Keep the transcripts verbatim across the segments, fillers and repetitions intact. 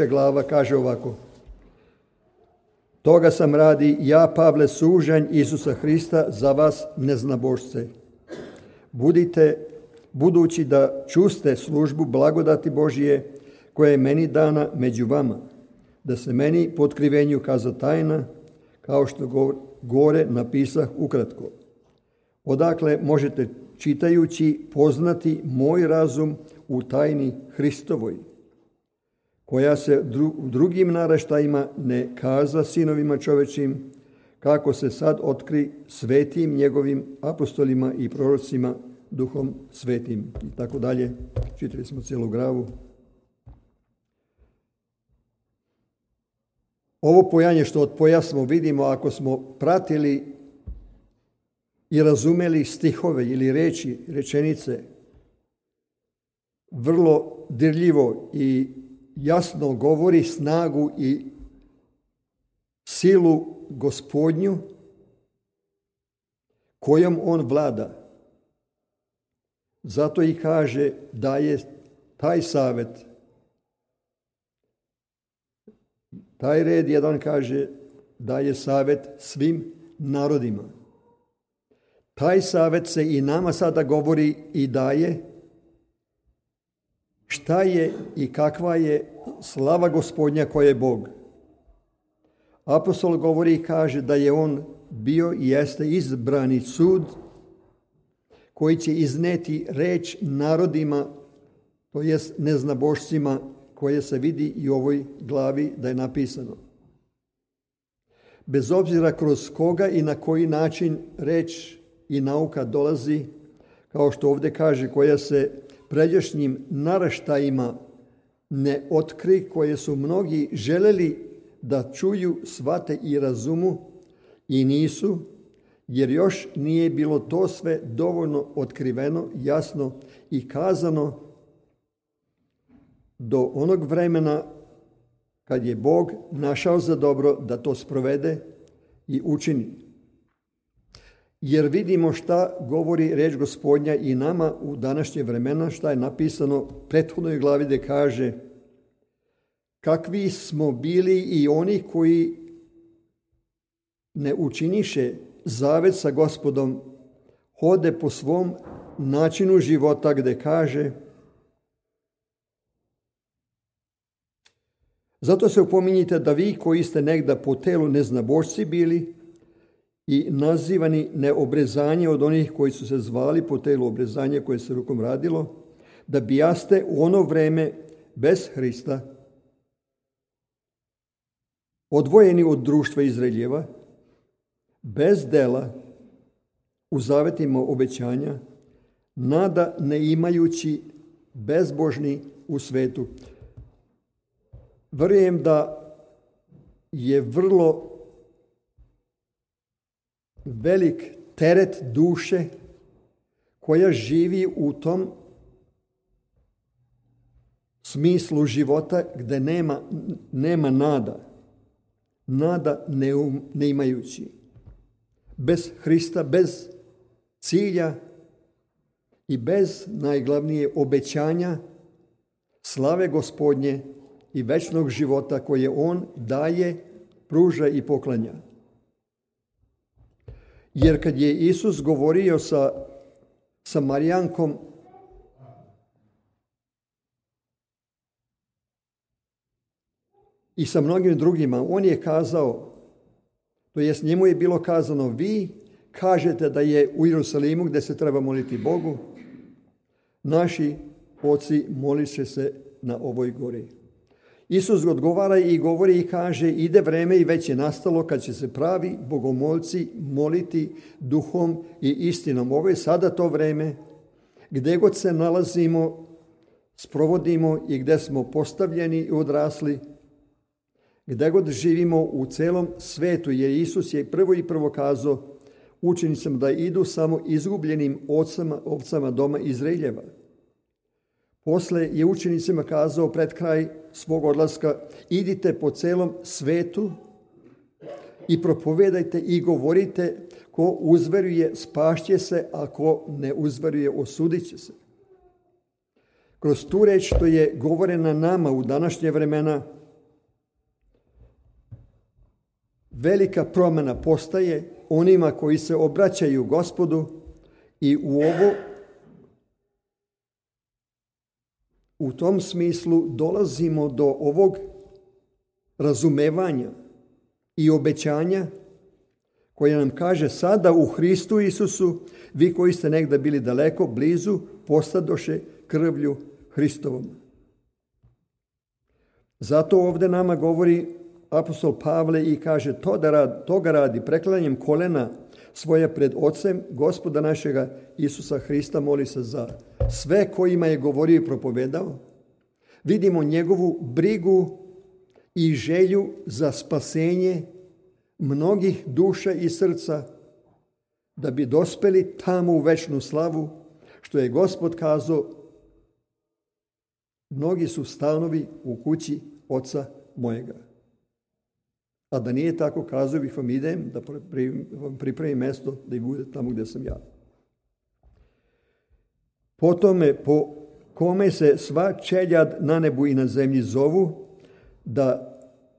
glava kaže ovako. Toga sam radi ja, Pavle, sužanj Isusa Hrista za vas neznabošce. Budite, budući da čuste službu blagodati Božije koja je meni dana među vama, da se meni po otkrivenju kaza tajna, kao što gore napisah ukratko. Odakle možete čitajući poznati moj razum u tajni Hristovoj, koja se u drugim naraštajima ne kaza sinovima čovečim, kako se sad otkri svetim njegovim apostolima i prorocima duhom svetim. I tako dalje. Čitali smo cijelu glavu. Ovo pojanje što od poja smo vidimo, ako smo pratili i razumeli stihove ili reči, rečenice, vrlo dirljivo i jasno govori snagu i silu Gospodnju kojom on vlada. Zato i kaže da je taj savjet, taj red jedan kaže da je savjet svim narodima. Taj savjet se i nama sada govori i daje šta je i kakva je slava Gospodnja koja je Bog. Apostol govori i kaže da je on bio i jeste izbrani sud koji će izneti reč narodima, to jest neznabošcima, koje se vidi i u ovoj glavi da je napisano. Bez obzira kroz koga i na koji način reč i nauka dolazi, kao što ovdje kaže, koja se pređašnjim naraštajima ne otkri, koje su mnogi želeli da čuju, shvate i razumu i nisu, jer još nije bilo to sve dovoljno otkriveno, jasno i kazano do onog vremena kad je Bog našao za dobro da to sprovede i učini. Jer vidimo šta govori reč Gospodnja i nama u današnje vremena, šta je napisano u prethodnoj glavi gdje kaže kakvi smo bili i oni koji ne učiniše zavet sa Gospodom, hode po svom načinu života, gdje kaže zato se upominjite da vi koji ste negda po telu neznabošci bili i nazivani neobrezanje od onih koji su se zvali po telu obrezanje koje se rukom radilo, da bijaste u ono vreme bez Hrista, odvojeni od društva Izraeljeva, bez dela, u zavetima obećanja, nada ne imajući, bezbožni u svetu. Vjerujem da je vrlo velik teret duše koja živi u tom smislu života gdje nema, nema nada. Nada ne, um, ne imajući. Bez Hrista, bez cilja i bez najglavnije obećanja slave Gospodnje i večnog života koje on daje, pruža i poklanja. Jer kad je Isus govorio sa Samarijankom, i sa mnogim drugima, on je kazao, to jest njemu je bilo kazano, vi kažete da je u Jerusalimu gdje se treba moliti Bogu, naši oci molit će se na ovoj gori. Isus odgovara i govori i kaže, ide vreme i već je nastalo kad će se pravi bogomolci moliti duhom i istinom. Ovo je sada to vreme gdje god se nalazimo, sprovodimo i gdje smo postavljeni i odrasli, gdje god živimo u celom svetu, jer Isus je prvo i prvo kazao učenicima da idu samo izgubljenim ovcama, ovcama doma Izraeljeva. Posle je učenicima kazao pred kraj svog odlaska, idite po celom svetu i propovedajte i govorite, ko uzveruje spašće se, a ko ne uzveruje osudit će se. kroz tu reč što je govorena nama u današnje vremena, velika promjena postaje onima koji se obraćaju Gospodu i u ovo, u tom smislu dolazimo do ovog razumevanja i obećanja koje nam kaže sada u Hristu Isusu, vi koji ste negdje bili daleko, blizu, postadoše krvlju Hristovom. Zato ovdje nama govori apostol Pavle i kaže to da radi, toga radi preklanjanjem kolena svoje pred Ocem Gospoda našega Isusa Hrista, moli se za sve kojima je govorio i propovedao. Vidimo njegovu brigu i želju za spasenje mnogih duša i srca, da bi dospeli tamo u večnu slavu, što je Gospod kazao, mnogi su stanovi u kući Oca mojega. A da nije tako, kazao bih vam, idem da vam pripremim mjesto da i bude tamo gdje sam ja. Po tome, po kome se sva čeljad na nebu i na zemlji zovu, da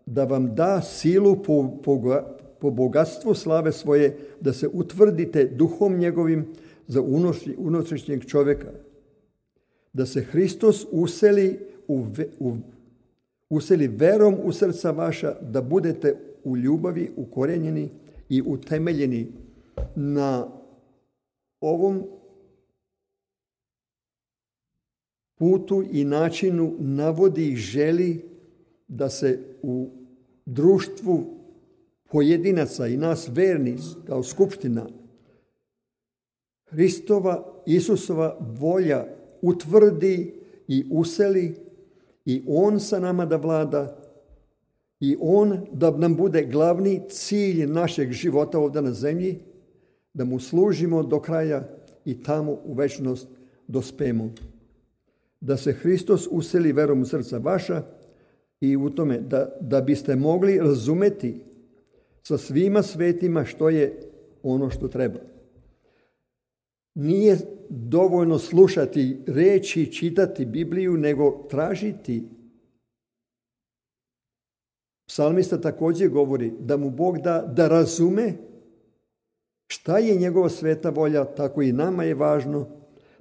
da vam da silu po, po, po bogatstvu slave svoje, da se utvrdite duhom njegovim za unutrašnjeg čovjeka. Da se Hristos useli, u, u, useli verom u srca vaša, da budete u ljubavi ukorenjeni i utemeljeni na ovom putu i načinu navodi i želi da se u društvu pojedinaca i nas verni kao skupština Hristova, Isusova volja utvrdi i useli i On sa nama da vlada i On da nam bude glavni cilj našeg života ovdje na zemlji, da mu služimo do kraja i tamo u večnost dospemo. Da se Hristos useli verom u srca vaša i u tome da, da biste mogli razumeti sa svima svetima što je ono što treba. Nije dovoljno slušati reči, čitati Bibliju, nego tražiti. Psalmista također govori da mu Bog da, da razume šta je njegova sveta volja, tako i nama je važno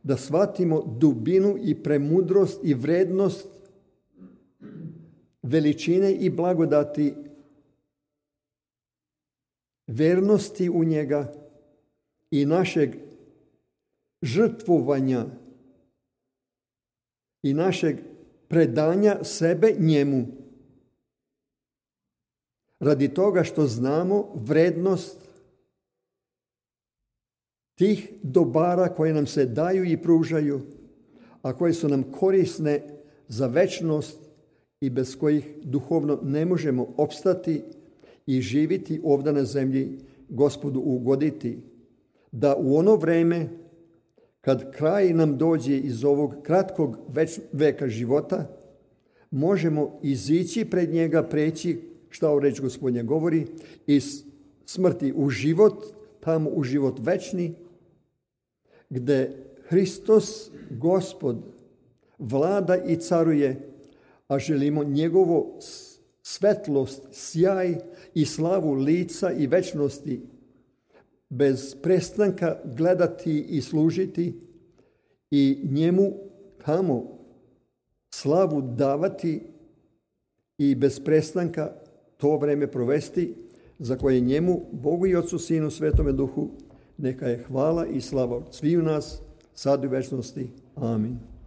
da shvatimo dubinu i premudrost i vrednost veličine i blagodati vernosti u njega i našeg žrtvovanja i našeg predanja sebe njemu. Radi toga što znamo vrednost tih dobara koje nam se daju i pružaju, a koje su nam korisne za večnost i bez kojih duhovno ne možemo opstati i živjeti ovdje na zemlji, Gospodu ugoditi. Da u ono vrijeme, kad kraj nam dođe iz ovog kratkog veka života, možemo izići pred njega, preći, šta u reč Gospodnja govori, iz smrti u život, tamo u život večni, gdje Hristos, Gospod, vlada i caruje, a želimo njegovo svetlost, sjaj i slavu lica i večnosti bez prestanka gledati i služiti i njemu tamo slavu davati i bez prestanka to vrijeme provesti, za koje njemu, Bogu i Otcu, Sinu, Svetome Duhu, neka je hvala i slava od sviju nas, sad u večnosti. Amin.